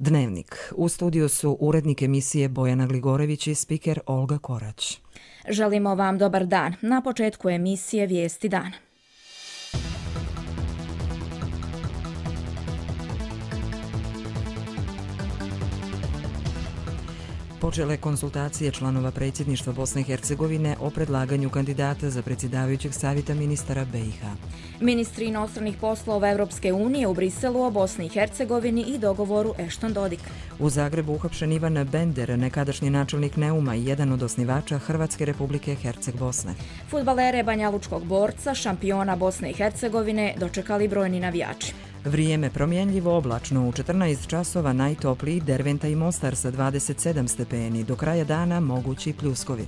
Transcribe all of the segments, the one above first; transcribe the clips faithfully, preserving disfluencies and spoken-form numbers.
Dnevnik. U studiju su urednik emisije Bojana Gligorević i spiker Olga Korać. Želimo vam dobar dan. Na početku emisije Vijesti dana. Počele konsultacije članova predsjedništva Bosne i Hercegovine o predlaganju kandidata za predsjedavajućeg savjeta ministara B i H. Ministri inostranih poslova Evropske unije u Briselu o Bosni i Hercegovini i dogovoru Ešton-Dodik. U Zagrebu uhapšen Ivan Bender, nekadašnji načelnik Neuma i jedan od osnivača Hrvatske Republike Herceg-Bosne. Fudbalere banjalučkog borca, šampiona Bosne i Hercegovine, dočekali brojni navijači. Vrijeme promjenljivo oblačno, u četrnaest časova najtopliji Derventa i Mostar sa dvadeset sedam stepeni, do kraja dana mogući pljuskovi.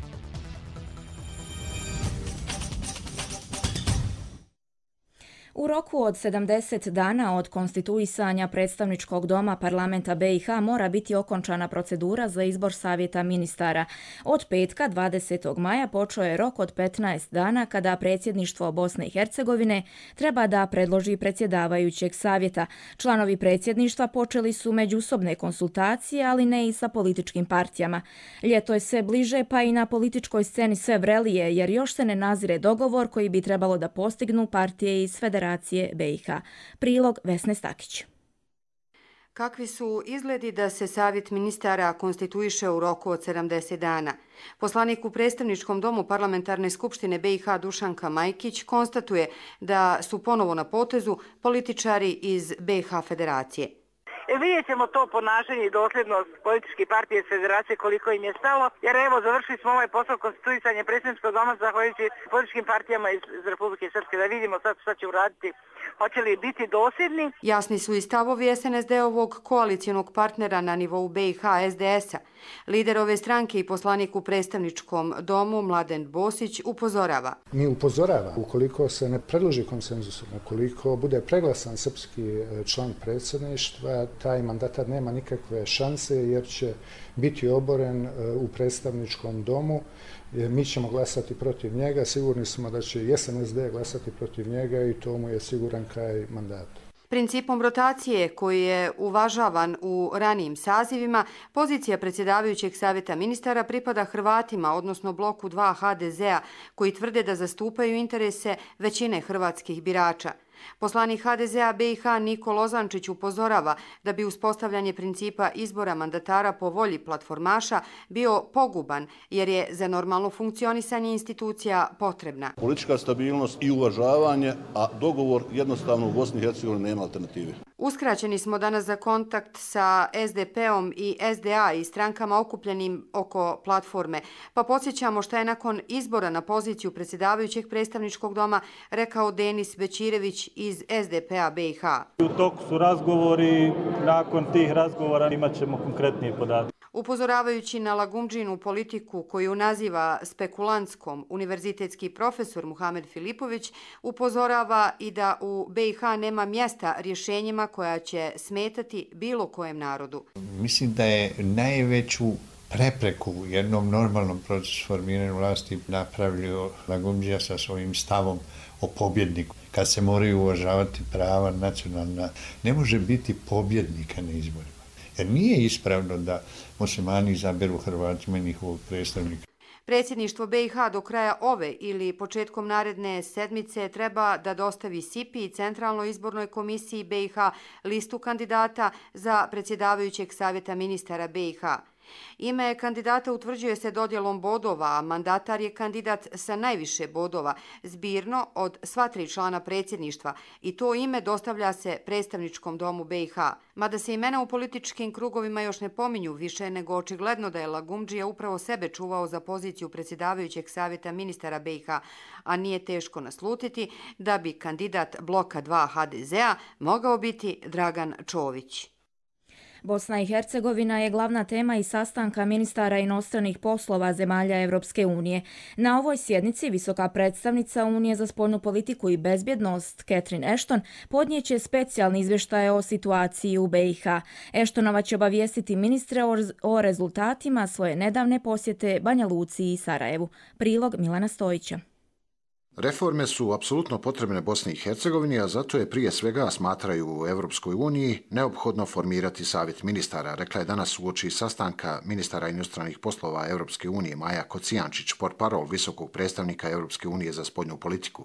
U roku od sedamdeset dana od konstituisanja predstavničkog doma parlamenta B i H mora biti okončana procedura za izbor savjeta ministara. Od petka dvadesetog maja počeo je rok od petnaest dana kada predsjedništvo Bosne i Hercegovine treba da predloži predsjedavajućeg savjeta. Članovi predsjedništva počeli su međusobne konsultacije, ali ne i sa političkim partijama. Ljeto je sve bliže, pa i na političkoj sceni sve vrelije, jer još se ne nazire dogovor koji bi trebalo da postignu partije iz Federacije B i H. Prilog Vesne Stakić. Kakvi su izgledi da se savjet ministara konstituiše u roku od sedamdeset dana? Poslanik u predstavničkom domu Parlamentarne skupštine B i H Dušanka Majkić konstatuje da su ponovo na potezu političari iz B i H Federacije. Vidjet ćemo to ponašanje i dosljednost političke partije iz Federacije koliko im je stalo, jer evo završili smo ovaj posao konstituisanja predsjedničkog doma zahvaljujući političkim partijama iz, iz Republike Srpske, da vidimo sad šta će uraditi, hoće li biti dosljedni. Jasni su i stavovi S N S D-ovog koalicijonog partnera na nivou B i H S D S-a. Lider ove stranke i poslanik u predstavničkom domu Mladen Bosić upozorava. Mi upozorava, ukoliko se ne predloži konsenzusom, ukoliko bude preglasan srpski član predsjedništva, taj mandatar nema nikakve šanse jer će biti oboren u predstavničkom domu. Mi ćemo glasati protiv njega, sigurni smo da će i S N S D glasati protiv njega i to mu je siguran kraj mandata. Principom rotacije koji je uvažavan u ranijim sazivima, pozicija predsjedavajućeg savjeta ministara pripada Hrvatima, odnosno bloku dva H D Z-a, koji tvrde da zastupaju interese većine hrvatskih birača. Poslanik H D Z-a B i H Niko Lozančić upozorava da bi uspostavljanje principa izbora mandatara po volji platformaša bio poguban, jer je za normalno funkcionisanje institucija potrebna politička stabilnost i uvažavanje, a dogovor jednostavno u Bosni i Hercegovini nema alternative. Uskraćeni smo danas za kontakt sa S D P-om i S D A i strankama okupljenim oko platforme, pa podsjećamo šta je nakon izbora na poziciju predsjedavajućeg predstavničkog doma rekao Denis Bećirević iz S D P-a B i H. U toku su razgovori, nakon tih razgovora imat ćemo konkretnije podatke. Upozoravajući na lagumdžinu politiku koju naziva spekulantskom, univerzitetski profesor Muhamed Filipović upozorava i da u B i H nema mjesta rješenjima koja će smetati bilo kojem narodu. Mislim da je najveću prepreku u jednom normalnom procesu formiranja vlasti napravio lagumdžija sa svojim stavom o pobjedniku. Kad se moraju uvažavati prava nacionalna, ne može biti pobjednika na izborima. Jer nije ispravno da muslimani izaberu Hrvatima njihovog predstavnika. Predsjedništvo B i H do kraja ove ili početkom naredne sedmice treba da dostavi S I P I, Centralnoj izbornoj komisiji B i H, listu kandidata za predsjedavajućeg savjeta ministara B i H. Ime kandidata utvrđuje se dodjelom bodova, a mandatar je kandidat sa najviše bodova, zbirno od sva tri člana predsjedništva, i to ime dostavlja se predstavničkom domu B i H. Mada se imena u političkim krugovima još ne pominju, više nego očigledno da je lagumdžija upravo sebe čuvao za poziciju predsjedavajućeg savjeta ministara B i H, a nije teško naslutiti da bi kandidat bloka dva H D Z-a mogao biti Dragan Čović. Bosna i Hercegovina je glavna tema i sastanka ministara inostranih poslova zemalja Evropske unije. Na ovoj sjednici visoka predstavnica Unije za spoljnu politiku i bezbjednost Catherine Ashton podnijeće specijalni izvještaj o situaciji u B i H. Ashtonova će obavijestiti ministre o rezultatima svoje nedavne posjete Banja Luci i Sarajevu. Prilog Milana Stojića. Reforme su apsolutno potrebne Bosni i Hercegovini, a zato je prije svega, smatraju u Europskoj uniji, neophodno formirati savjet ministara, rekla je danas uoči sastanka ministara inostranih poslova Europske unije Maja Kocijančić, portparol visokog predstavnika Europske unije za spoljnu politiku.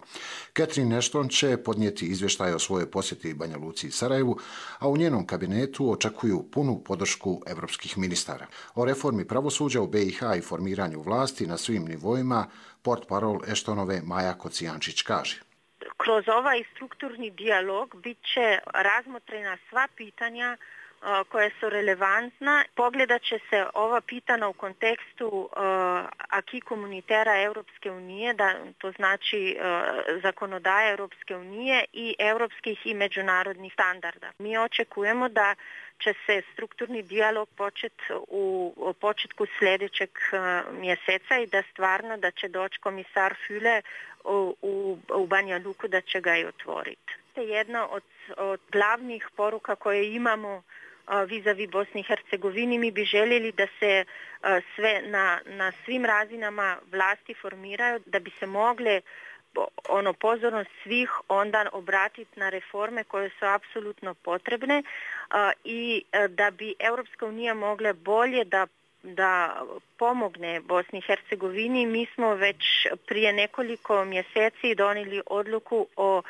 Catherine Ashton će podnijeti izvještaj o svojoj posjeti Banja Luci i Sarajevu, a u njenom kabinetu očekuju punu podršku europskih ministara. O reformi pravosuđa u B i H i formiranju vlasti na svim nivoima portparol Ashtonove Maja Kocijančić kaže. Kroz ovaj strukturni dijalog bit će razmotrena sva pitanja koje su relevantna. Pogledat će se ova pitanja u kontekstu uh, aki komunitera Europske unije, da to znači uh, zakonodaje Europske unije i europskih i međunarodnih standarda. Mi očekujemo da će se strukturni dijalog početi u, u početku sljedećeg uh, mjeseca i da stvarno da će doći komisar Füle u, u, u Banja Luku, da će ga i otvoriti. To je jedna od, od glavnih poruka koje imamo vis-a-vis Bosni i Hercegovini. Mi bi željeli da se sve na, na svim razinama vlasti formiraju, da bi se mogle ono pozornost svih onda obratiti na reforme koje su apsolutno potrebne i da bi Europska unija mogla bolje da da pomogne Bosni i Hercegovini. Mi smo već prije nekoliko mjeseci donijeli odluku o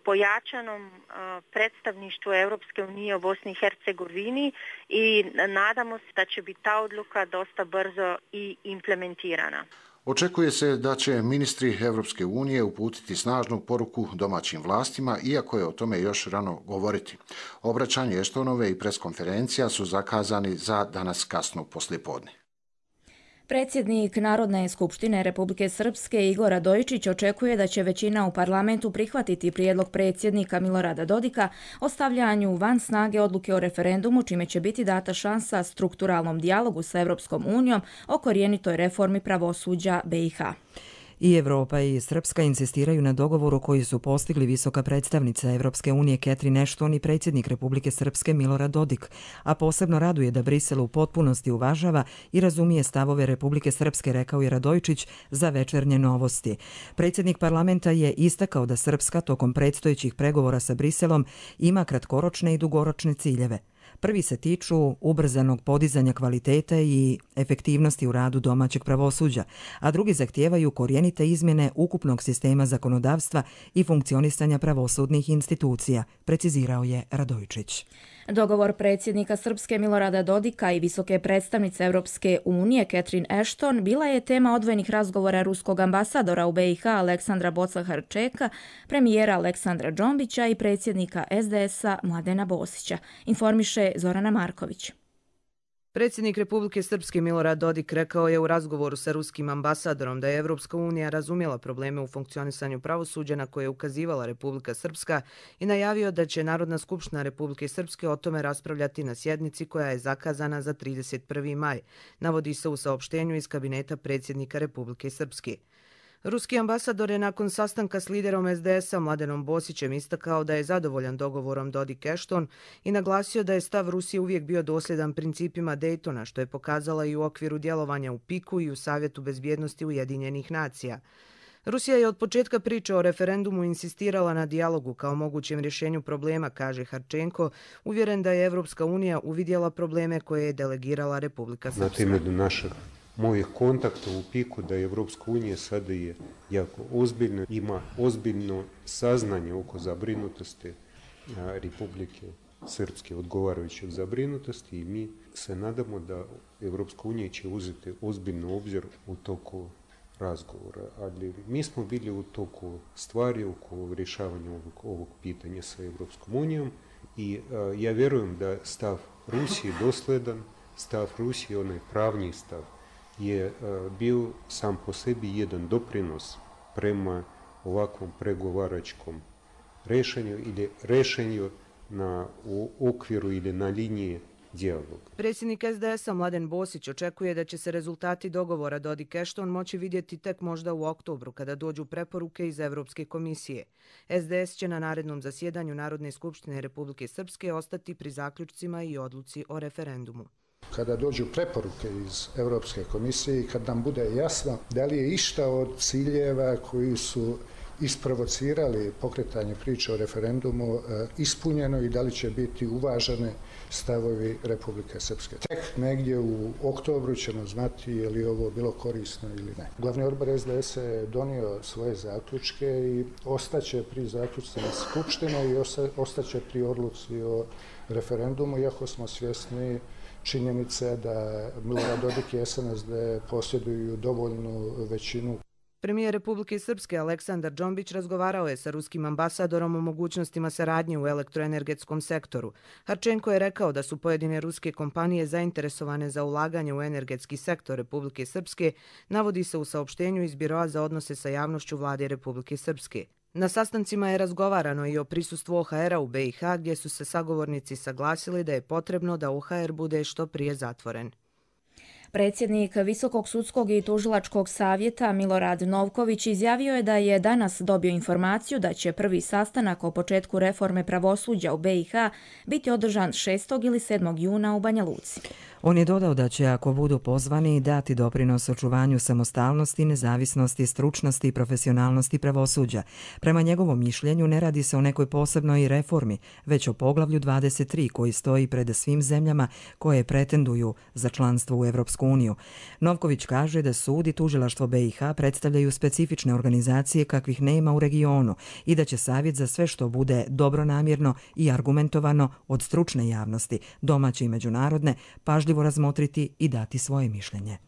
pojačanom uh, predstavništvu Europske unije u Bosni i Hercegovini i nadamo se da će biti ta odluka dosta brzo i implementirana. Očekuje se da će ministri Europske unije uputiti snažnu poruku domaćim vlastima, iako je o tome još rano govoriti. Obraćanje Ashtonove i preskonferencija su zakazani za danas kasno poslijepodne. Predsjednik Narodne skupštine Republike Srpske Igor Radojičić očekuje da će većina u parlamentu prihvatiti prijedlog predsjednika Milorada Dodika o stavljanju van snage odluke o referendumu, čime će biti data šansa strukturalnom dijalogu sa Europskom unijom o korjenitoj reformi pravosuđa B i H. I Evropa i Srpska insistiraju na dogovoru koji su postigli visoka predstavnica Evropske unije Catherine Ashton i predsjednik Republike Srpske Milorad Dodik, a posebno raduje da Brisel u potpunosti uvažava i razumije stavove Republike Srpske, rekao je Radojičić za Večernje novosti. Predsjednik parlamenta je istakao da Srpska tokom predstojećih pregovora sa Briselom ima kratkoročne i dugoročne ciljeve. Prvi se tiču ubrzanog podizanja kvalitete i efektivnosti u radu domaćeg pravosuđa, a drugi zahtijevaju korijenite izmjene ukupnog sistema zakonodavstva i funkcionisanja pravosudnih institucija, precizirao je Radojičić. Dogovor predsjednika Srpske Milorada Dodika i visoke predstavnice Europske unije Catherine Ashton bila je tema odvojenih razgovora ruskog ambasadora u B i H Aleksandra Boca-Harčeka, premijera Aleksandra Džombića i predsjednika S D S-a Mladena Bosića, informiše Zorana Marković. Predsjednik Republike Srpske Milorad Dodik rekao je u razgovoru sa ruskim ambasadorom da je Evropska unija razumjela probleme u funkcionisanju pravosuđa na koje je ukazivala Republika Srpska i najavio da će Narodna skupština Republike Srpske o tome raspravljati na sjednici koja je zakazana za trideset prvi maj, navodi se u saopštenju iz kabineta predsjednika Republike Srpske. Ruski ambasador je nakon sastanka s liderom S D S-a Mladenom Bosićem istakao da je zadovoljan dogovorom Dodik-Ashton i naglasio da je stav Rusije uvijek bio dosljedan principima Daytona, što je pokazala i u okviru djelovanja u Piku i u Savjetu bezbjednosti Ujedinjenih nacija. Rusija je od početka priče o referendumu insistirala na dijalogu kao mogućem rješenju problema, kaže Harčenko, uvjeren da je Evropska unija uvidjela probleme koje je delegirala Republika Srpska. Mojih kontakta u Piku da je Evropska unija sada je jako ozbiljna, ima ozbiljno saznanje oko zabrinutosti Republike Srpske, odgovarajućeg zabrinutosti i mi se nadamo da Evropska unija će uzeti ozbiljno obzir u toku razgovora. Ali mi smo bili u toku stvari oko rješavanja ovog, ovog pitanja sa Evropskom unijom i a, ja vjerujem da stav Rusije dosljedan, stav Rusije, onaj pravni stav, je bio sam po sebi jedan doprinos prema ovakvom pregovaračkom rešenju ili rešenju na u okviru ili na liniji dijaloga. Predsjednik S D S-a Mladen Bosić očekuje da će se rezultati dogovora Dodik-Ashton moći vidjeti tek možda u oktobru kada dođu preporuke iz Evropske komisije. S D S će na narednom zasjedanju Narodne skupštine Republike Srpske ostati pri zaključcima i odluci o referendumu. Kada dođu preporuke iz Europske komisije i kad nam bude jasno da li je išta od ciljeva koji su isprovocirali pokretanje priče o referendumu ispunjeno i da li će biti uvažene stavovi Republike Srpske. Tek negdje u oktobru ćemo znati je li ovo bilo korisno ili ne. Glavni odbor S D S je donio svoje zaključke i ostaće pri zaključcima Skupštine i ostaće pri odluci o referendumu, iako smo svjesni činjenice da Milorad Dodik i S N S D posjeduju dovoljnu većinu. Premijer Republike Srpske Aleksandar Džombić razgovarao je sa ruskim ambasadorom o mogućnostima saradnje u elektroenergetskom sektoru. Harčenko je rekao da su pojedine ruske kompanije zainteresovane za ulaganje u energetski sektor Republike Srpske, navodi se u saopštenju iz Biroa za odnose sa javnošću Vlade Republike Srpske. Na sastancima je razgovarano i o prisustvu O H R-a u B i H, gdje su se sagovornici saglasili da je potrebno da O H R bude što prije zatvoren. Predsjednik Visokog sudskog i tužilačkog savjeta Milorad Novković izjavio je da je danas dobio informaciju da će prvi sastanak o početku reforme pravosuđa u B i H biti održan šestog ili sedmog juna u Banja Luci. On je dodao da će, ako budu pozvani, dati doprinos očuvanju samostalnosti, nezavisnosti, stručnosti i profesionalnosti pravosuđa. Prema njegovom mišljenju ne radi se o nekoj posebnoj reformi, već o poglavlju dvadeset tri koji stoji pred svim zemljama koje pretenduju za članstvo u Evropsku uniju. Novković kaže da sud i tužilaštvo B i H predstavljaju specifične organizacije kakvih nema u regionu i da će savjet za sve što bude dobronamjerno i argumentovano od stručne javnosti, domaće i međunarodne, pažljivo razmotriti i dati svoje mišljenje.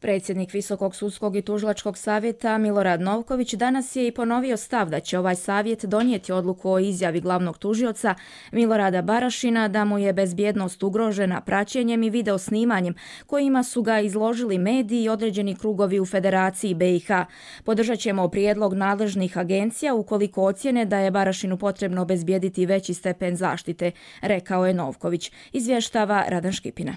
Predsjednik Visokog sudskog i tužilačkog savjeta Milorad Novković danas je i ponovio stav da će ovaj savjet donijeti odluku o izjavi glavnog tužioca Milorada Barašina da mu je bezbjednost ugrožena praćenjem i video snimanjem kojima su ga izložili mediji i određeni krugovi u Federaciji B i H. Podržat ćemo prijedlog nadležnih agencija ukoliko ocjene da je Barašinu potrebno obezbijediti veći stepen zaštite, rekao je Novković. Izvještava Radan Škipina.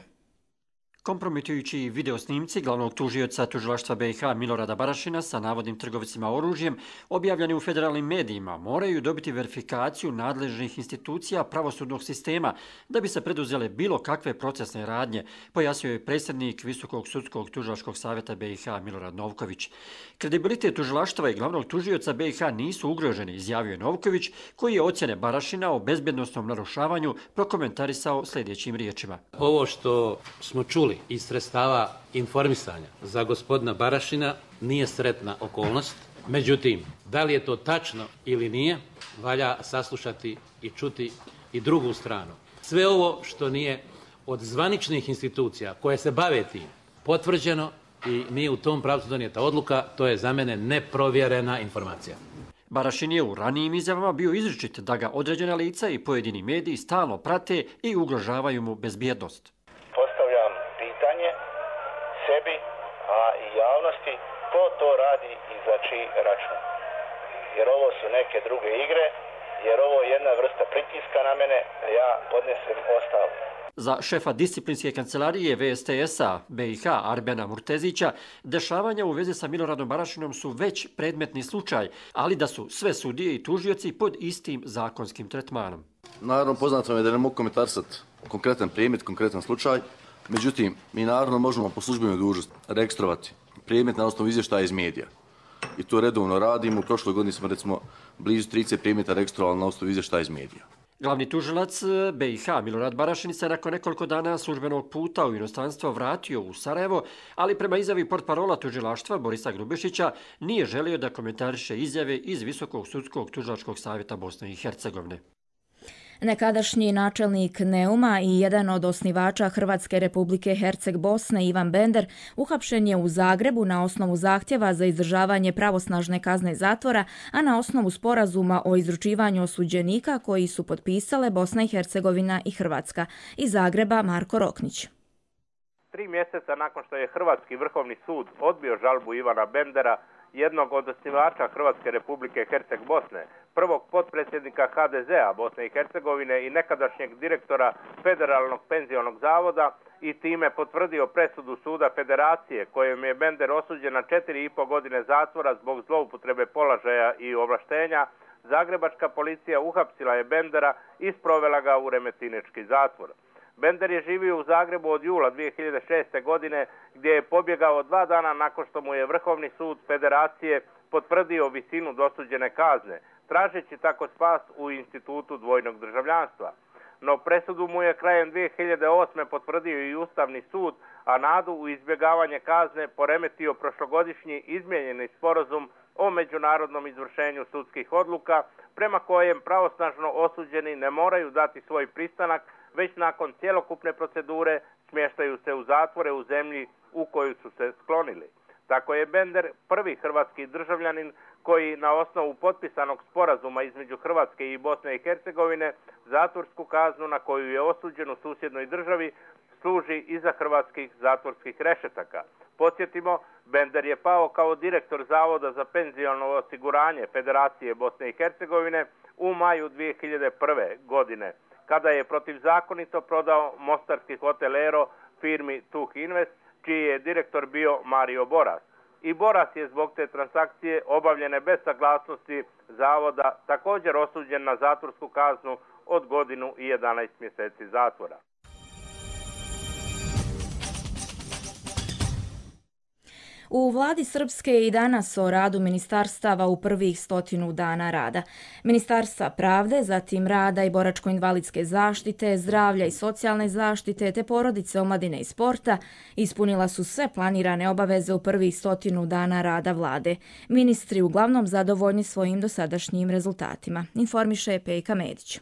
Kompromitujući video snimci glavnog tužioca tužilaštva B i H Milorada Barašina sa navodnim trgovcima oružjem objavljeni u federalnim medijima moraju dobiti verifikaciju nadležnih institucija pravosudnog sistema da bi se preduzele bilo kakve procesne radnje, pojasnio je predsjednik Visokog sudskog tužilačkog savjeta B i H Milorad Novković. Kredibilitet tužilaštva i glavnog tužioca B i H nisu ugroženi, izjavio je Novković, koji je ocjene Barašina o bezbjednosnom narušavanju prokomentarisao sljedećim riječima. Ovo što smo čuli iz sredstava informisanja za gospodina Barašina nije sretna okolnost. Međutim, da li je to tačno ili nije, valja saslušati i čuti i drugu stranu. Sve ovo što nije od zvaničnih institucija koje se bave tim potvrđeno i nije u tom pravcu donijeta odluka, to je za mene neprovjerena informacija. Barašin je u ranijim izjavama bio izričit da ga određena lica i pojedini mediji stalno prate i ugrožavaju mu bezbjednost. Postavljam pitanje sebi, a i javnosti, ko to radi i za čiji račun. Jer ovo su neke druge igre, jer ovo je jedna vrsta pritiska na mene, da ja podnesem ostavku. Za šefa disciplinske kancelarije V S T S-a B i H Arbena Murtezića, dešavanja u vezi sa Miloradom Barašinom su već predmetni slučaj, ali da su sve sudije i tužioci pod istim zakonskim tretmanom. Naravno, poznato je da ne mogu komentarisati konkretan predmet, konkretan slučaj, međutim, mi naravno možemo po službenoj dužnosti registrovati predmet na osnovu izvještaja iz medija. I to redovno radimo. U prošloj godini smo recimo blizu trideset predmeta registrovali na osnovu izvještaja iz medija. Glavni tužilac B i H Milorad Barašin se nakon nekoliko dana službenog puta u inostranstvo vratio u Sarajevo, ali prema izjavi portparola tužilaštva Borisa Grubišića nije želio da komentariše izjave iz Visokog sudskog tužilačkog savjeta Bosne i Hercegovine. Nekadašnji načelnik Neuma i jedan od osnivača Hrvatske Republike Herceg Bosne Ivan Bender uhapšen je u Zagrebu na osnovu zahtjeva za izdržavanje pravosnažne kazne zatvora, a na osnovu sporazuma o izručivanju osuđenika koji su potpisale Bosna i Hercegovina i Hrvatska. Iz Zagreba Marko Roknić. Tri mjeseca nakon što je Hrvatski vrhovni sud odbio žalbu Ivana Bendera, jednog od osnivača Hrvatske Republike Herceg Bosne, prvog potpredsjednika H D Z-a Bosne i Hercegovine i nekadašnjeg direktora Federalnog penzionog zavoda i time potvrdio presudu suda Federacije kojom je Bender osuđen na četiri i po godine zatvora zbog zloupotrebe položaja i ovlaštenja, zagrebačka policija uhapsila je Bendera i sprovela ga u Remetinački zatvor. Bender je živio u Zagrebu od jula dvije hiljade šeste. godine gdje je pobjegao dva dana nakon što mu je Vrhovni sud Federacije potvrdio visinu dosuđene kazne, tražeći tako spas u institutu dvojnog državljanstva. No presudu mu je krajem dvije hiljade osme potvrdio i Ustavni sud, a nadu u izbjegavanje kazne poremetio prošlogodišnji izmijenjeni sporazum o međunarodnom izvršenju sudskih odluka, prema kojem pravosnažno osuđeni ne moraju dati svoj pristanak, već nakon cjelokupne procedure smještaju se u zatvore u zemlji u koju su se sklonili. Tako je Bender prvi hrvatski državljanin koji na osnovu potpisanog sporazuma između Hrvatske i Bosne i Hercegovine zatvorsku kaznu na koju je osuđen u susjednoj državi služi iza hrvatskih zatvorskih rešetaka. Podsjetimo, Bender je pao kao direktor Zavoda za penziono osiguranje Federacije Bosne i Hercegovine u maju dvije hiljade prve. godine, kada je protivzakonito prodao mostarski hotel Ero firmi Tuh Invest, čiji je direktor bio Mario Boras. I Boras je zbog te transakcije obavljene bez saglasnosti Zavoda također osuđen na zatvorsku kaznu od godinu i jedanaest mjeseci zatvora. U vladi Srpske i danas o radu ministarstava u prvih stotinu dana rada. Ministarstva pravde, zatim rada i boračko-invalidske zaštite, zdravlja i socijalne zaštite te porodice, omladine i sporta ispunila su sve planirane obaveze u prvih stotinu dana rada vlade. Ministri uglavnom zadovoljni svojim dosadašnjim rezultatima, informiše Pejka Medić.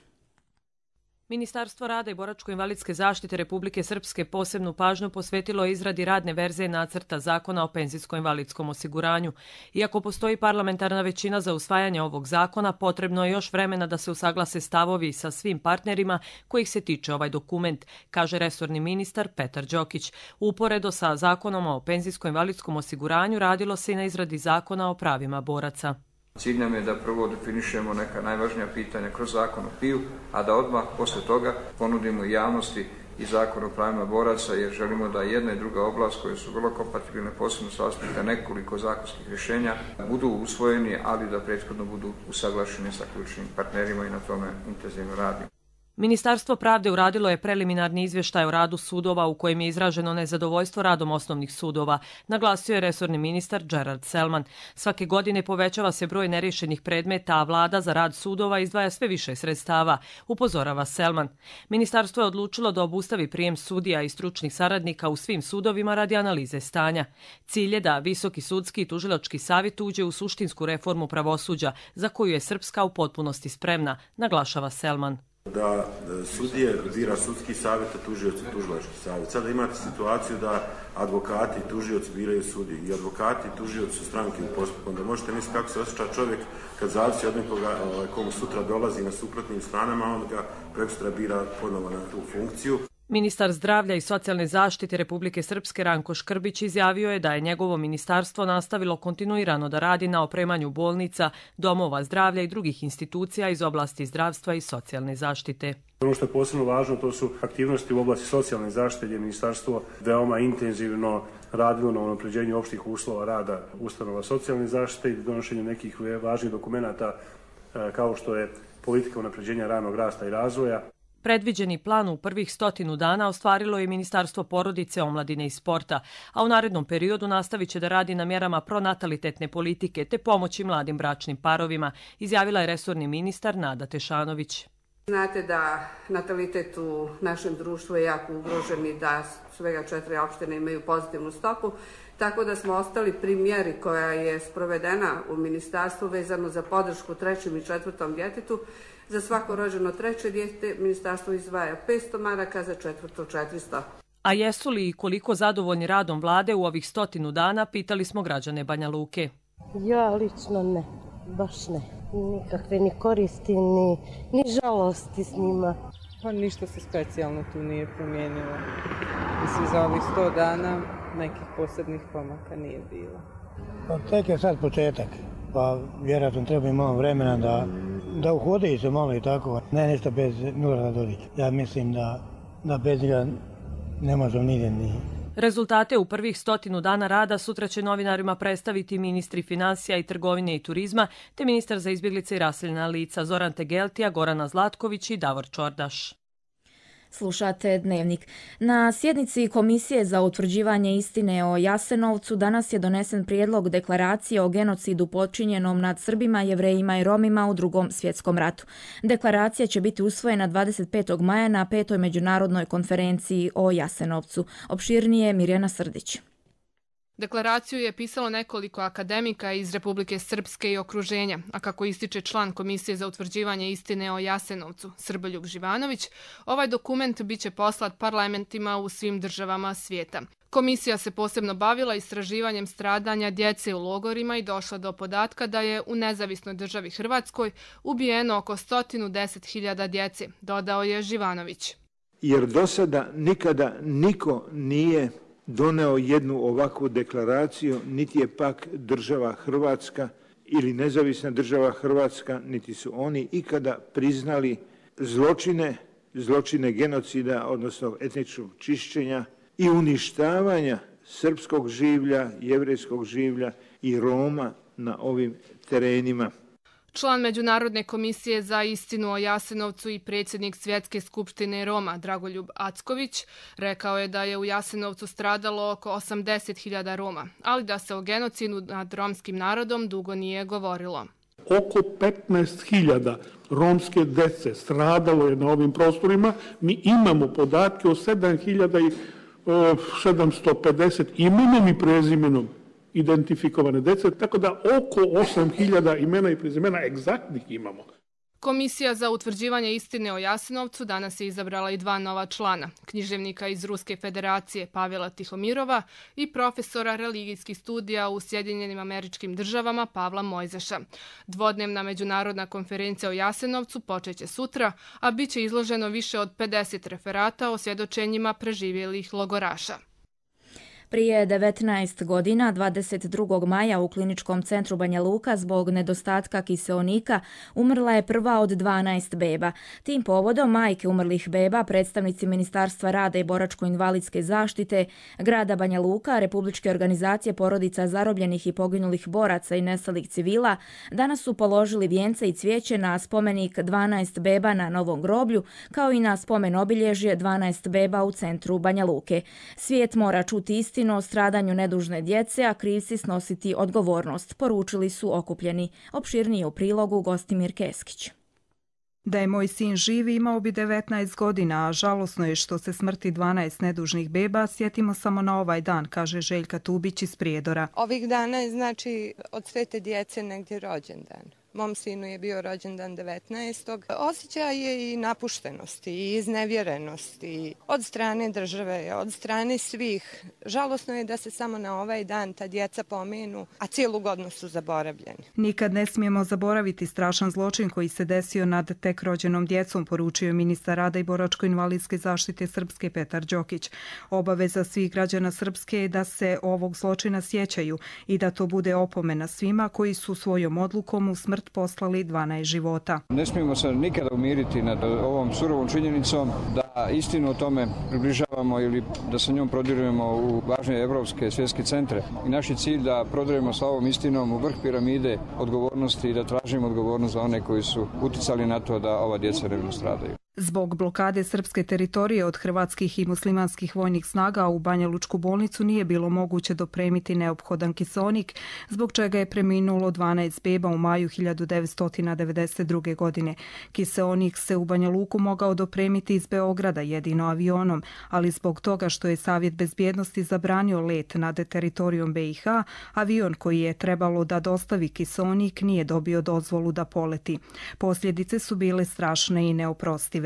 Ministarstvo rada i boračko-invalidske zaštite Republike Srpske posebnu pažnju posvetilo izradi radne verzije nacrta zakona o penzijsko-invalidskom osiguranju. Iako postoji parlamentarna većina za usvajanje ovog zakona, potrebno je još vremena da se usaglase stavovi sa svim partnerima kojih se tiče ovaj dokument, kaže resorni ministar Petar Đokić. Uporedo sa zakonom o penzijsko-invalidskom osiguranju radilo se i na izradi zakona o pravima boraca. Cilj nam je da prvo definišemo neka najvažnija pitanja kroz zakon o P I U, a da odmah posle toga ponudimo javnosti i zakon o pravima boraca, jer želimo da jedna i druga oblast koje su vrlo kompatibilne, posebno s aspekta nekoliko zakonskih rješenja, budu usvojeni, ali da prethodno budu usaglašeni sa ključnim partnerima i na tome intenzivno radimo. Ministarstvo pravde uradilo je preliminarni izvještaj o radu sudova u kojem je izraženo nezadovoljstvo radom osnovnih sudova, naglasio je resorni ministar Gerard Selman. Svake godine povećava se broj neriješenih predmeta, a vlada za rad sudova izdvaja sve više sredstava, upozorava Selman. Ministarstvo je odlučilo da obustavi prijem sudija i stručnih saradnika u svim sudovima radi analize stanja. Cilj je da Visoki sudski i tužilački savjet uđe u suštinsku reformu pravosuđa, za koju je Srpska u potpunosti spremna, naglašava Selman. Da sudije bira sudski savjet, a tužioci tužilački savjet. Sada imate situaciju da advokati i tužioci biraju sudije i advokati i tužioci su stranke u postupku. Onda možete misliti kako se osjeća čovjek kad zavisi od nekoga komu sutra dolazi na suprotnim stranama, on ga prekosutra bira ponovo na tu funkciju. Ministar zdravlja i socijalne zaštite Republike Srpske Ranko Škrbić izjavio je da je njegovo ministarstvo nastavilo kontinuirano da radi na opremanju bolnica, domova zdravlja i drugih institucija iz oblasti zdravstva i socijalne zaštite. Ono što je posebno važno, to su aktivnosti u oblasti socijalne zaštite, gdje je ministarstvo veoma intenzivno radilo na unapređenju opštih uslova rada ustanova socijalne zaštite i donošenju nekih važnih dokumenata kao što je politika unapređenja ranog rasta i razvoja. Predviđeni plan u prvih stotinu dana ostvarilo je Ministarstvo porodice, omladine i sporta, a u narednom periodu nastavit će da radi na mjerama pronatalitetne politike te pomoći mladim bračnim parovima, izjavila je resorni ministar Nada Tešanović. Znate da natalitet u našem društvu je jako ugrožen i da svega četiri opštine imaju pozitivnu stopu, tako da smo ostali pri mjeri koja je sprovedena u ministarstvu vezano za podršku trećem i četvrtom djetetu. Za svako rođeno treće dijete ministarstvo izdvaja petsto maraka, za četvrto četiristo. A jesu li i koliko zadovoljni radom vlade u ovih stotinu dana, pitali smo građane Banja Luke. Ja lično ne, baš ne. Nikakve ni koristi, ni, ni žalosti s njima. Pa ništa se specijalno tu nije promijenilo. Mislim, za ovih sto dana nekih posebnih pomaka nije bilo. Pa tek je sad početak, pa vjerojatno treba i malo vremena da, da uhode se malo i tako. Ne nešto bez Milorada Dodića. Ja mislim da, da bez njega ne možemo nigdje ni... Rezultate u prvih stotinu dana rada sutra će novinarima predstaviti ministri financija i trgovine i turizma, te ministar za izbjeglice i raseljena lica Zoran Tegeltija, Gorana Zlatković i Davor Čordaš. Slušate Dnevnik. Na sjednici Komisije za utvrđivanje istine o Jasenovcu danas je donesen prijedlog deklaracije o genocidu počinjenom nad Srbima, Jevrejima i Romima u Drugom svjetskom ratu. Deklaracija će biti usvojena dvadeset petog maja na petoj međunarodnoj konferenciji o Jasenovcu. Opširnije Mirjana Srdić. Deklaraciju je pisalo nekoliko akademika iz Republike Srpske i okruženja, a kako ističe član Komisije za utvrđivanje istine o Jasenovcu, Srboljub Živanović, ovaj dokument biće poslat parlamentima u svim državama svijeta. Komisija se posebno bavila istraživanjem stradanja djece u logorima i došla do podatka da je u nezavisnoj državi Hrvatskoj ubijeno oko sto deset hiljada djece, dodao je Živanović. Jer do sada nikada niko nije doneo jednu ovakvu deklaraciju, niti je pak država Hrvatska ili nezavisna država Hrvatska, niti su oni ikada priznali zločine, zločine genocida, odnosno etničkog čišćenja i uništavanja srpskog življa, jevrejskog življa i Roma na ovim terenima. Član Međunarodne komisije za istinu o Jasenovcu i predsjednik Svjetske skupštine Roma Dragoljub Acković rekao je da je u Jasenovcu stradalo oko osamdeset hiljada Roma, ali da se o genocidu nad romskim narodom dugo nije govorilo. Oko petnaest hiljada romske dece stradalo je na ovim prostorima. Mi imamo podatke o sedam hiljada sedamsto pedeset imenom i prezimenom identifikovane dece, tako da oko osam hiljada imena i prezimena egzaktnih imamo. Komisija za utvrđivanje istine o Jasenovcu danas je izabrala i dva nova člana, književnika iz Ruske federacije Pavela Tihomirova i profesora religijskih studija u Sjedinjenim Američkim Državama Pavla Mojzeša. Dvodnevna međunarodna konferencija o Jasenovcu počeće sutra, a bit će izloženo više od pedeset referata o svjedočenjima preživjelih logoraša. Prije devetnaest godina, dvadeset drugog maja u Kliničkom centru Banja Luka zbog nedostatka kiseonika umrla je prva od dvanaest beba. Tim povodom majke umrlih beba, predstavnici Ministarstva rada i boračko-invalidske zaštite, grada Banja Luka, Republičke organizacije porodica zarobljenih i poginulih boraca i nestalih civila, danas su položili vijence i cvijeće na spomenik dvanaest beba na Novom groblju, kao i na spomen obilježje dvanaest beba u centru Banja Luke. Svijet mora čuti istinu o stradanju nedužne djece, a krivci snositi odgovornost, poručili su okupljeni. Opširnije u prilogu Gostimir Keskić. Da je moj sin živ, imao bi devetnaest godina, a žalosno je što se smrti dvanaest nedužnih beba sjetimo samo na ovaj dan, kaže Željka Tubić iz Prijedora. Ovih dana je znači od sve te djece negdje rođendan. Mom sinu je bio rođendan devetnaestog Osjećaj je i napuštenosti i iznevjerenosti od strane države, od strane svih. Žalosno je da se samo na ovaj dan ta djeca pomenu, a cijelu godinu su zaboravljeni. Nikad ne smijemo zaboraviti strašan zločin koji se desio nad tek rođenom djecom, poručio ministar rada i boračko-invalidske zaštite Srpske Petar Đokić. Obaveza svih građana Srpske je da se ovog zločina sjećaju i da to bude opomena svima koji su svojom odlukom u smrt poslali dvanaest života. Ne smijemo se nikada umiriti nad ovom surovom činjenicom da istinu o tome približavamo ili da sa njom prodirujemo u važne evropske svjetske centre. I naš je cilj da prodirujemo sa ovom istinom u vrh piramide odgovornosti i da tražimo odgovornost za one koji su uticali na to da ova djeca ne stradaju. Zbog blokade srpske teritorije od hrvatskih i muslimanskih vojnih snaga u Banja Lučku bolnicu nije bilo moguće dopremiti neophodan kiseonik, zbog čega je preminulo dvanaest beba u maju hiljadu devetsto devedeset druge. godine. Kiseonik se u Banja Luku mogao dopremiti iz Beograda jedino avionom, ali zbog toga što je Savjet bezbjednosti zabranio let nad teritorijom be i ha, avion koji je trebalo da dostavi kiseonik nije dobio dozvolu da poleti. Posljedice su bile strašne i neoprostive.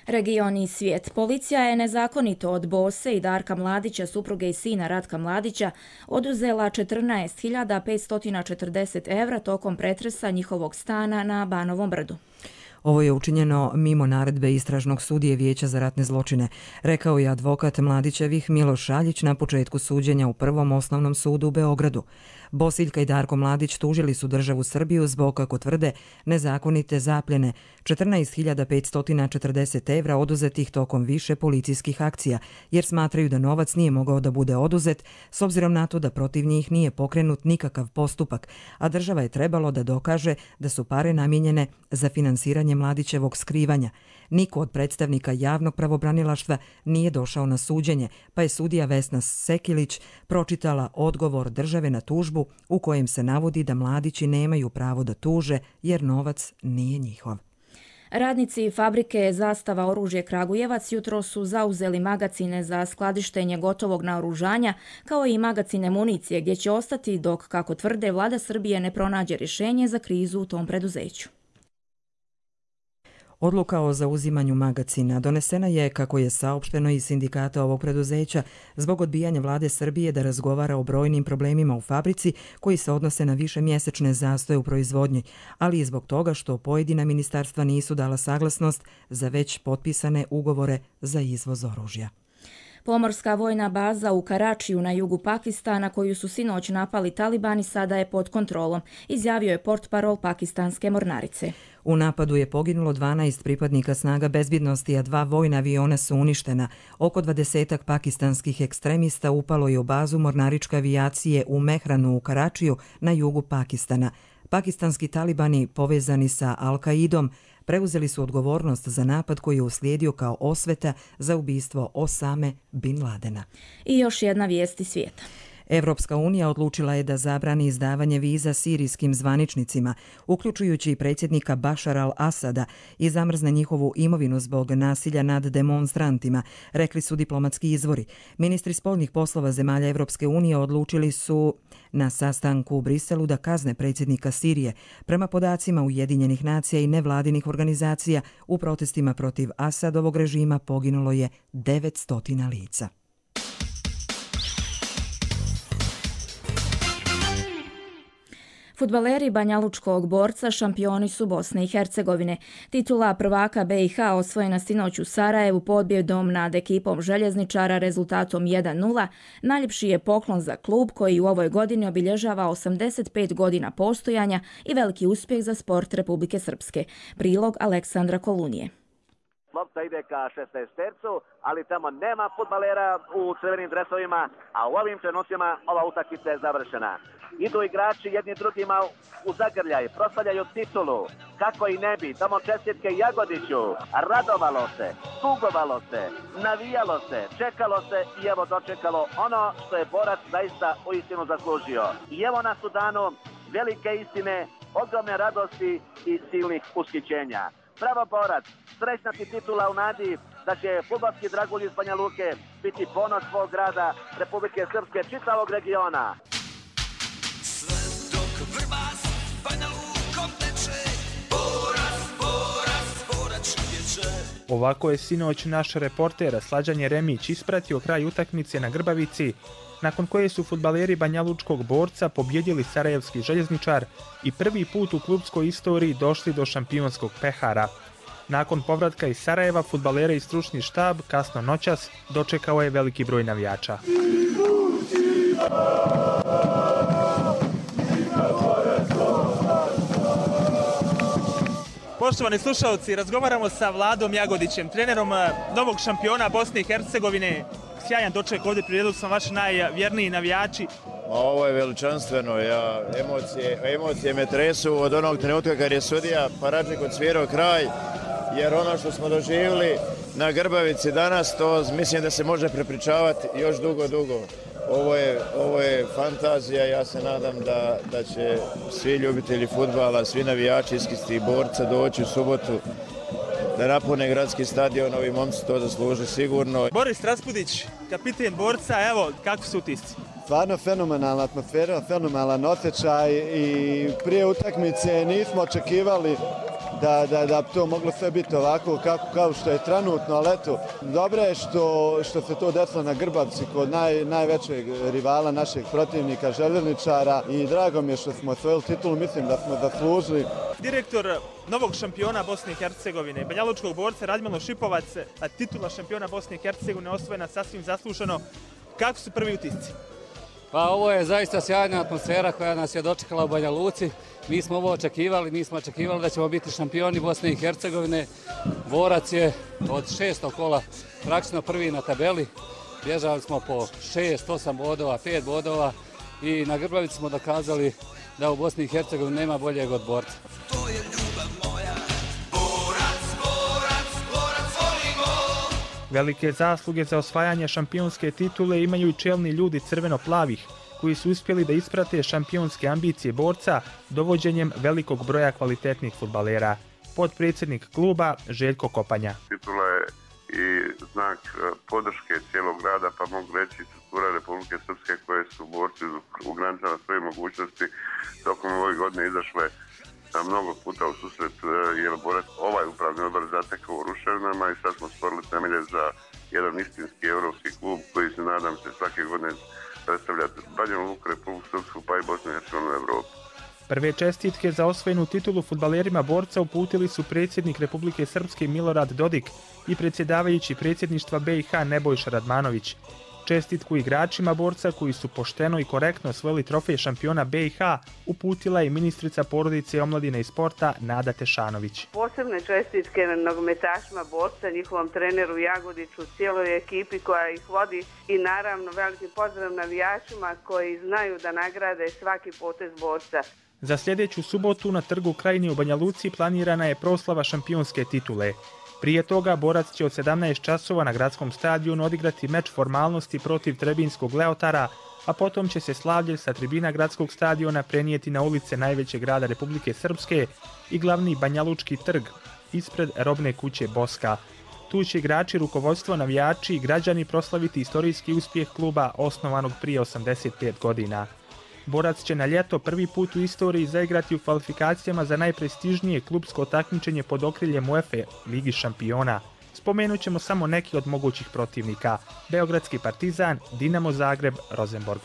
Region i svijet. Policija je nezakonito od Bose i Darka Mladića, supruge i sina Ratka Mladića, oduzela četrnaest hiljada petsto četrdeset evra tokom pretresa njihovog stana na Banovom brdu. Ovo je učinjeno mimo naredbe istražnog sudije Vijeća za ratne zločine, rekao je advokat Mladićevih Miloš Šaljić na početku suđenja u Prvom osnovnom sudu u Beogradu. Bosiljka i Darko Mladić tužili su državu Srbiju zbog, kako tvrde, nezakonite zapljene četrnaest hiljada petsto četrdeset evra oduzetih tokom više policijskih akcija, jer smatraju da novac nije mogao da bude oduzet s obzirom na to da protiv njih nije pokrenut nikakav postupak, a država je trebalo da dokaže da su pare namijenjene za finansiranje Mladićevog skrivanja. Niko od predstavnika javnog pravobranilaštva nije došao na suđenje, pa je sudija Vesna Sekilić pročitala odgovor države na tužbu u kojem se navodi da mladići nemaju pravo da tuže jer novac nije njihov. Radnici fabrike Zastava oružje Kragujevac jutro su zauzeli magacine za skladištenje gotovog naoružanja, kao i magacine municije, gdje će ostati dok, kako tvrde, vlada Srbije ne pronađe rješenje za krizu u tom preduzeću. Odluka o zauzimanju magacina donesena je, kako je saopšteno iz sindikata ovog preduzeća, zbog odbijanja vlade Srbije da razgovara o brojnim problemima u fabrici koji se odnose na višemjesečne zastoje u proizvodnji, ali i zbog toga što pojedina ministarstva nisu dala saglasnost za već potpisane ugovore za izvoz oružja. Pomorska vojna baza u Karačiju na jugu Pakistana, koju su sinoć napali talibani, sada je pod kontrolom, izjavio je portparol pakistanske mornarice. U napadu je poginulo dvanaest pripadnika snaga bezbjednosti, a dva vojna aviona su uništena. Oko dvadesetak pakistanskih ekstremista upalo je u bazu mornaričke avijacije u Mehranu u Karačiju na jugu Pakistana. Pakistanski talibani, povezani sa Al-Kaidom, preuzeli su odgovornost za napad koji je uslijedio kao osveta za ubistvo Osame bin Ladena. I još jedna vijest iz svijeta. Evropska unija odlučila je da zabrani izdavanje viza sirijskim zvaničnicima, uključujući i predsjednika Bašar al-Asada, i zamrzne njihovu imovinu zbog nasilja nad demonstrantima, rekli su diplomatski izvori. Ministri spoljnih poslova zemalja Evropske unije odlučili su na sastanku u Briselu da kazne predsjednika Sirije. Prema podacima Ujedinjenih nacija i nevladinih organizacija, u protestima protiv Asadovog režima poginulo je devetsto lica. Fudbaleri banjalučkog Borca šampioni su Bosne i Hercegovine. Titula prvaka B i H osvojena sinoć u Sarajevu pobjedom nad ekipom željezničara rezultatom jedan nula. Najljepši je poklon za klub koji u ovoj godini obilježava osamdeset pet godina postojanja i veliki uspjeh za sport Republike Srpske. Prilog Aleksandra Kolunije. Lopta ide ka šesnaestercu, ali tamo nema fudbalera u crvenim dresovima, a u ovim trenucima ova utakmica je završena. Idu igrači jedni drugima u zagrljaj, proslavljaju titulu, kako i ne bi, tamo čestitke Jagodiću, radovalo se, tugovalo se, navijalo se, čekalo se i evo dočekalo ono što je Borac zaista uistinu zaslužio. I evo nas u danu velike istine, ogromne radosti i silnih ushićenja. Bravo Borac, srećna ti titula u nadi da će fudbalski dragulj iz Banja Luke biti ponos svog grada, Republike Srpske, čitavog regiona. Sve dok Vrbas Banja Lukom teče, Borac, Borac, Borac šutječe. Ovako je sinoć naš reporter Slađan Jeremić ispratio kraj utakmice na Grbavici, nakon koje su fudbaleri banjalučkog Borca pobjedili sarajevski željezničar i prvi put u klubskoj istoriji došli do šampionskog pehara. Nakon povratka iz Sarajeva, fudbalere i stručni štab kasno noćas dočekao je veliki broj navijača. Poštovani slušalci, razgovaramo sa Vladom Jagodićem, trenerom novog šampiona Bosne i Hercegovine. Sjajan doček ovdje, priredili smo vaši najvjerniji navijači. Ovo je veličanstveno, ja, emocije, emocije me tresu od onog trenutka kad je sudija Paradžik odsvirao kraj, jer ono što smo doživjeli na Grbavici danas, to mislim da se može prepričavati još dugo, dugo. Ovo je, ovo je fantazija, ja se nadam da, da će svi ljubitelji fudbala, svi navijači iz Borca doći u subotu da napune gradski stadion, ovi momci to zasluže sigurno. Boris Raspudić, kapiten Borca, evo, kako su utisci? Stvarno fenomenalna atmosfera, fenomenalan osjećaj i prije utakmice nismo očekivali da, da, da to moglo sve biti ovako kako, kao što je trenutno, ali eto, dobro je što, što se to desilo na Grbavci kod naj, najvećeg rivala našeg protivnika, željezničara, i drago mi je što smo osvojili titulu, mislim da smo zaslužili. Direktor novog šampiona Bosne i Hercegovine, banjalučkog Borca Radmilo Šipovac, a titula šampiona Bosne i Hercegovine osvojena sasvim zasluženo. Kako su prvi utisci? Pa ovo je zaista sjajna atmosfera koja nas je dočekala u Banja Luci. Mi smo ovo očekivali, mi smo očekivali da ćemo biti šampioni Bosne i Hercegovine. Borac je od šestog kola praktično prvi na tabeli. Bježali smo po šest, osam bodova, pet bodova i na Grbavici smo dokazali da u Bosni i Hercegovini nema boljeg od Borca. To je ljubav moja, Borac, Borac, Borac. Velike zasluge za osvajanje šampionske titule imaju i čelni ljudi crveno-plavih, koji su uspjeli da isprate šampionske ambicije borca dovođenjem velikog broja kvalitetnih fudbalera. Potpredsjednik kluba Željko Kopanja. Titula je i znak podrške cijelog grada, pa mogu reći struktura Republike Srpske koje su borci u granicama svoje mogućnosti tokom ove godine izašle mnogo puta u susret, jer borac ovaj upravni odbor zatekao u ruševinama i sad smo stvorili temelje za jedan istinski evropski klub koji se, nadam se, svake godine predstavlja Banja Luku, Republiku Srpsku pa i Bosnu i Hercegovinu u Evropu. Prve čestitke za osvojenu titulu fudbalerima borca uputili su predsjednik Republike Srpske Milorad Dodik i predsjedavajući predsjedništva B i H Nebojša Radmanović. Čestitku igračima borca koji su pošteno i korektno osvojili trofej šampiona B i H uputila je ministrica porodice, omladine i sporta Nada Tešanović. Posebne čestitke nogometašima borca, njihovom treneru Jagodiću, cijeloj ekipi koja ih vodi i naravno veliki pozdrav navijačima koji znaju da nagrade svaki potez borca. Za sljedeću subotu na trgu Krajine u Banja Luci planirana je proslava šampionske titule. Prije toga borac će od sedamnaest časova na gradskom stadionu odigrati meč formalnosti protiv Trebinskog Leotara, a potom će se slavlje sa tribina gradskog stadiona prenijeti na ulice najvećeg grada Republike Srpske i glavni Banjalučki trg ispred robne kuće Boska. Tu će igrači, rukovodstvo, navijači i građani proslaviti istorijski uspjeh kluba osnovanog prije osamdeset pet godina. Borac će na ljeto prvi put u istoriji zaigrati u kvalifikacijama za najprestižnije klubsko takmičenje pod okriljem UEFA Ligi šampiona. Spomenut ćemo samo neki od mogućih protivnika: Beogradski Partizan, Dinamo Zagreb, Rosenborg.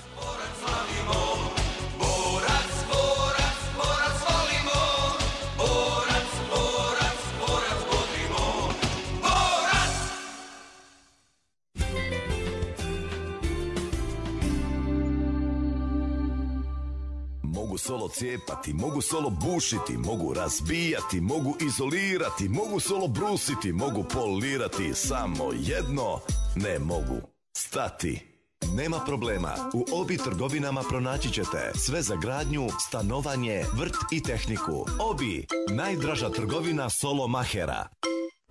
Mogu solo cijepati, mogu solo bušiti, mogu razbijati, mogu izolirati, mogu solo brusiti, mogu polirati, samo jedno ne mogu: stati. Nema problema, u Obi trgovinama pronaći ćete sve za gradnju, stanovanje, vrt i tehniku. Obi, najdraža trgovina solo mahera.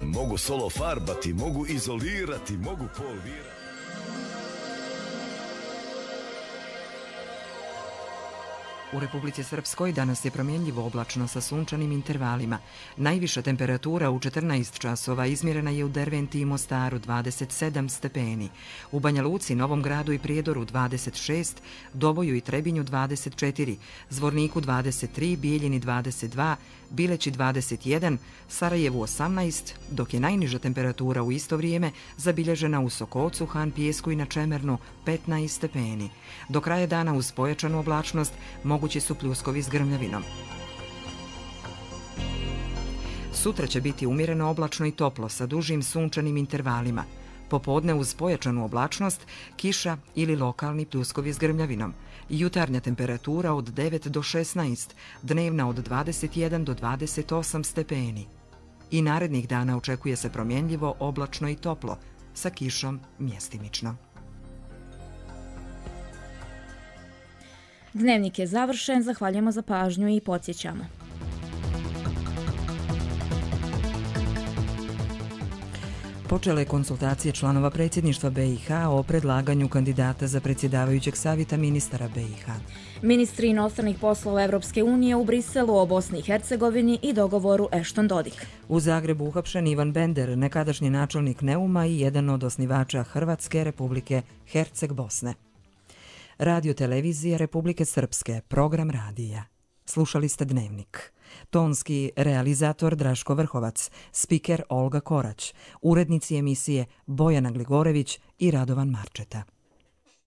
Mogu solo farbati, mogu izolirati, mogu polirati. U Republici Srpskoj danas je promjenljivo oblačno sa sunčanim intervalima. Najviša temperatura u četrnaest časova izmjerena je u Derventi i Mostaru dvadeset sedam stepeni, u Banja Luci, Novom Gradu i Prijedoru dvadeset šest, Doboju i Trebinju dvadeset četiri, Zvorniku dvadeset tri, Bijeljini dvadeset dva, Bileći dvadeset jedan, Sarajevu osamnaest, dok je najniža temperatura u isto vrijeme zabilježena u Sokocu, Han Pijesku i na Čemernu petnaest stepeni. Do kraja dana uz pojačanu oblačnost mogući su pljuskovi s grmljavinom. Sutra će biti umjereno oblačno i toplo sa dužim sunčanim intervalima. Popodne uz pojačanu oblačnost, kiša ili lokalni pljuskovi s grmljavinom. Jutarnja temperatura od devet do šesnaest, dnevna od dvadeset jedan do dvadeset osam stepeni. I narednih dana očekuje se promjenljivo, oblačno i toplo, sa kišom mjestimično. Dnevnik je završen, zahvaljujemo za pažnju i podsjećamo. Počele konsultacije članova predsjedništva B i H o predlaganju kandidata za predsjedavajućeg savjeta ministara B i H. Ministri inostranih poslova Evropske unije u Briselu o Bosni i Hercegovini i dogovoru Ešton-Dodik. U Zagrebu uhapšen Ivan Bender, nekadašnji načelnik Neuma i jedan od osnivača Hrvatske Republike Herceg-Bosne. Radio televizija Republike Srpske, program radija. Slušali ste Dnevnik. Tonski realizator Draško Vrhovac, spiker Olga Korać, urednici emisije Bojana Gligorević i Radovan Marčeta.